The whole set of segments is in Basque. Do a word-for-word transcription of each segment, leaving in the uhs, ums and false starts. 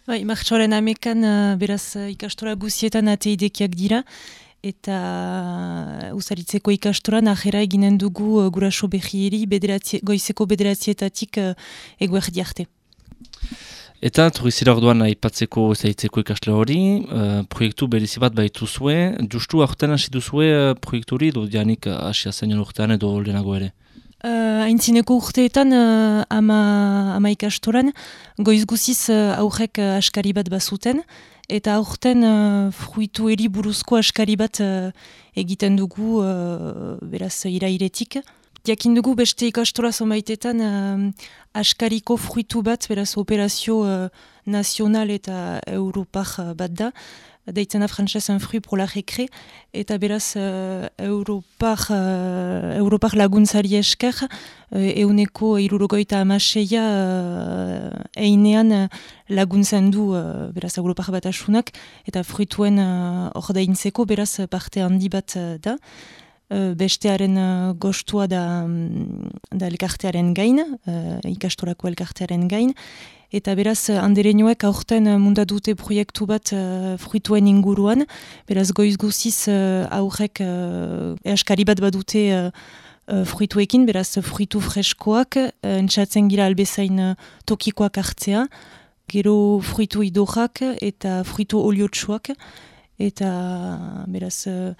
Bai, martxoaren amekan, uh, beraz, uh, ikastora guzietan ateidekiak dira, eta uh, usaritzeko ikastoran ajera eginen dugu uh, guraso behieri bederatzi, goizeko bederatzietatik uh, eguerdi arte. Eta turizira orduan aipatzeko zaitzeko ikasle hori, uh, proiektu berezi bat baitu zue, justu aurten hasi duzue uh, proiektu hori, edo dianik uh, asia zen urtean edo lehenago ere? Uh, Aintzineko urteetan, uh, ama, ama ikastoran, goiz guziz uh, aurrek uh, askari bat bazuten, eta aurten uh, fruitu eri buruzko askari bat uh, egiten dugu, uh, beraz, irairetik. Jakin dugu beste ikastora zonbaitetan uh, askariko fruitu bat, beraz, operazio uh, nazional eta europar uh, bat da, deitzen da frantzez un fruit pour la récré, eta beraz uh, europar, uh, europar laguntzari esker, uh, euneko irurogoita amaseia uh, einean uh, laguntzen du uh, beraz europar batasunak, eta fruituen uh, ordaintzeko beraz parte handi bat uh, da. Uh, bestearen uh, gostua da, um, da elkartearen gain, uh, ikastorako elkartearen gain, eta beraz andereinoek aurten mundadute proiektu bat uh, fruituen inguruan, beraz goiz guziz uh, aurrek uh, easkari bat badute uh, uh, fruituekin, beraz fruitu freskoak, uh, entzatzen gira albezain uh, tokikoak hartzea, gero fruitu idorrak eta fruitu oliotsuak, eta beraz uh,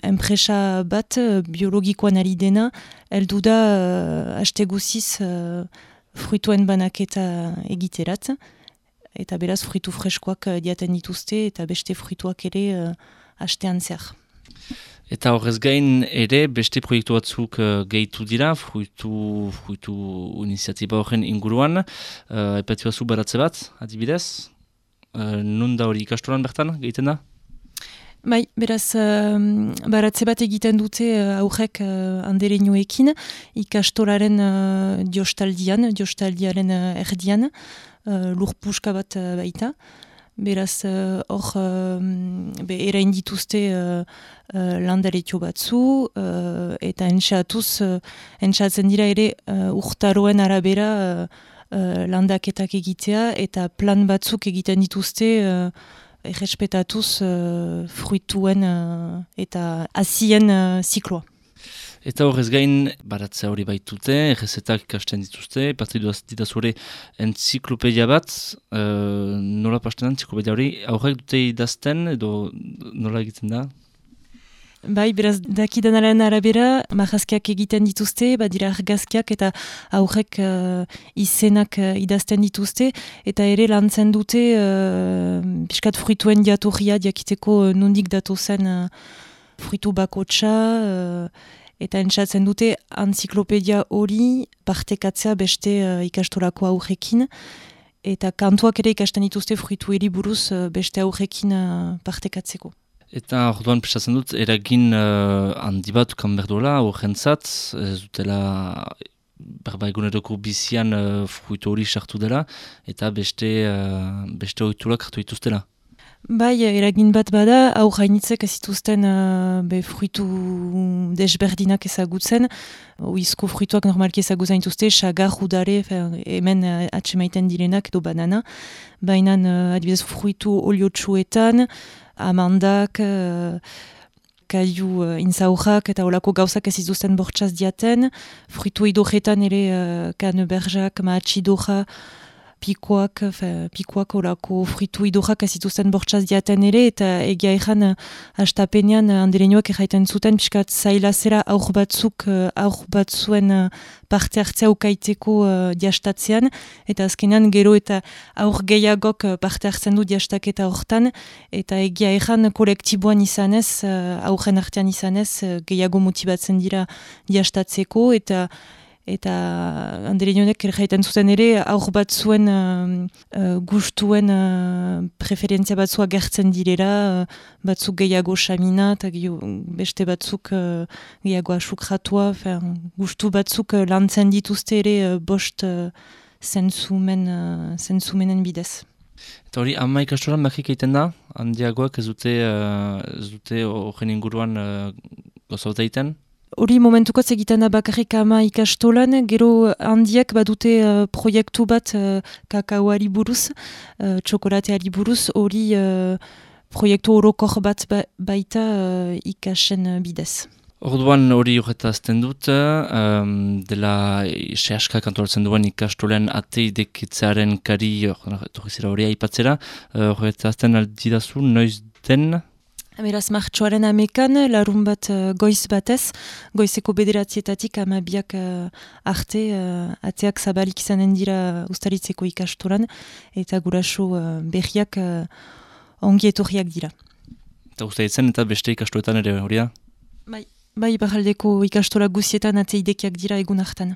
enpresa bat uh, biologikoan ari dena, heldu da uh, haste guziz uh, fruituen banaketa egiterat, eta beraz fruitu freskoak uh, diaten dituzte, eta beste fruituak ere uh, hastean zer. Eta horrez gain ere beste proiektu batzuk uh, gehitu dira, fruitu, fruitu iniziatiba horren inguruan, uh, epatu batzu baratze bat, adibidez, uh, nun da hori ikastoran bertan, gehiten da? Bai, beraz, uh, baratze bat egiten dute uh, aurrek uh, andereinoekin, ikastoraren uh, diostaldian, diostaldiaren uh, erdian, uh, lurpuska bat uh, baita. Beraz, hor, uh, uh, be, erain dituzte uh, uh, landaretio batzu, uh, eta entxatuz, uh, entxatzen dira ere uh, urtaroen arabera uh, uh, landaketak egitea, eta plan batzuk egiten dituzte uh, errespetatuz uh, fruituen uh, eta hazien uh, zikloa. Eta horrez gain, baratzea hori baitute, errezetak ikasten dituzte, partidu ditazure entziklopedia bat, uh, nola pasten entziklopedia hori, aurrek dute idazten edo nola egiten da? Bai, beraz, dakidanaren arabera, marrazkiak egiten dituzte, badira argazkiak eta aurrek uh, izenak uh, idazten dituzte, eta ere lantzen dute uh, piskat fruituen jatorria diakiteko uh, nondik datozen uh, fruitu bakotsa, uh, eta entzatzen dute entziklopedia hori partekatzea beste uh, ikastorako aurrekin, eta kantuak ere ikasten dituzte fruitueri buruz uh, beste aurrekin uh, partekatzeko. Eta orduan pesatzen dut, eragin uh, handi bat ukan berdola, horrentzat, ez dutela berba eguneroko bizian uh, fruitu hori sartu dela, eta beste, uh, beste ohiturak hartu dituztela. Bai, eragin bat bada, hau hainitzek ez zituzten uh, be fruitu desberdinak ezagutzen, oizko fruituak normalki ezagutzen dituzte, sagar, udare, hemen uh, atsemaiten direnak edo banana, baina uh, adibidez fruitu oliotsuetan, amandak, uh, kaiu uh, inzaurrak eta olako gauzak ez izuzten bortxaz diaten, fruitu idorretan ere uh, kaneberjak, maatxidorra, pikoak, fe, pikoak olako fruitu idorrak ez izuzten bortxaz diaten ere, eta egia ezan uh, hastapenean uh, andereinoak erraiten zuten, piskat zailazera aur batzuk, uh, aur batzuen uh, parte hartzea ukaiteko uh, diastatzean, eta azkenean gero eta aur gehiagok uh, parte hartzen du diastaketa hortan, eta egia ezan kolektiboan izanez, uh, aurren artean izanez, uh, gehiago motibatzen dira diastatzeko, eta eta andereinonek erraiten zuten ere aur batzuen uh, uh, gustuen uh, preferentzia batzua gertzen direla, uh, batzuk gehiago xamina eta beste batzuk uh, gehiago asukratua, gustu batzuk uh, lantzen dituzte ere uh, bost uh, zentzumen, uh, zentzumenen bidez. Eta hori, ama ikastoran bakik egiten da, handiagoak ez dute uh, ez dute horren inguruan uh, gozauta egiten? hori momentukotz egiten da bakarrik ama ikastolan, gero handiak badute uh, proiektu bat uh, kakaoari buruz, uh, txokolateari buruz, hori uh, proiektu orokor bat ba, baita uh, ikasen bidez. Orduan hori horretazten dut, um, dela sehaskak antolatzen duen ikastolen ateidekitzearen kari torrizera hori aipatzera, horretazten uh, aldidazu, noiz den? Beraz, martxoaren amekan, larun bat uh, goiz batez, goizeko bederatzietatik amabiak uh, arte, uh, ateak zabalik izanen dira ustaritzeko ikastolan, eta guraso uh, berriak uh, ongi etorriak dira. Eta ustaritzen eta beste ikastoetan ere hori da? Bai. Bai, barraldeko ikastola guzietan ateidekiak dira egun hartan.